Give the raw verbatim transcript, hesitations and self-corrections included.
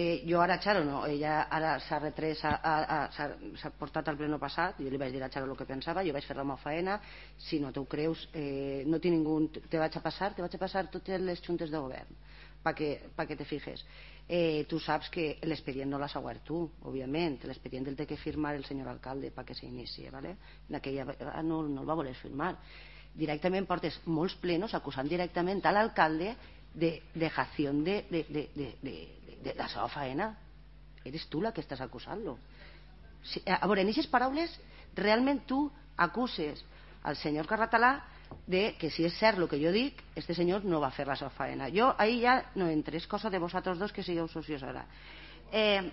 Eh, jo ara a Charo no, ella ara s'ha retrès, s'ha portat al pleno passat, jo li vaig dir a Charo el que pensava, jo vaig fer la meva feina, si no t'ho creus, eh, no tinc ningú, te vaig a passar, te vaig a passar totes les juntes de govern, para que, pa que te fijes. Eh, tu saps que l'expedient no l'has obert tu, òbviament, l'expedient el té que firmar el senyor alcalde perquè s'inicie, ¿vale? En aquella vegada no, no el va voler firmar. Directament portes molts plenos acusant directament a l'alcalde de dejación de, de, de, de, de, de la seva faena. Eres tu la que estàs acusant-lo. Si, a veure, en aquestes paraules realment tu acuses al senyor Carratalà de que si és cert el que jo dic, este senyor no va fer la seva faena. Jo ahí ja no entres, cosa de vosaltres dos que sigueu socios ara. Eh,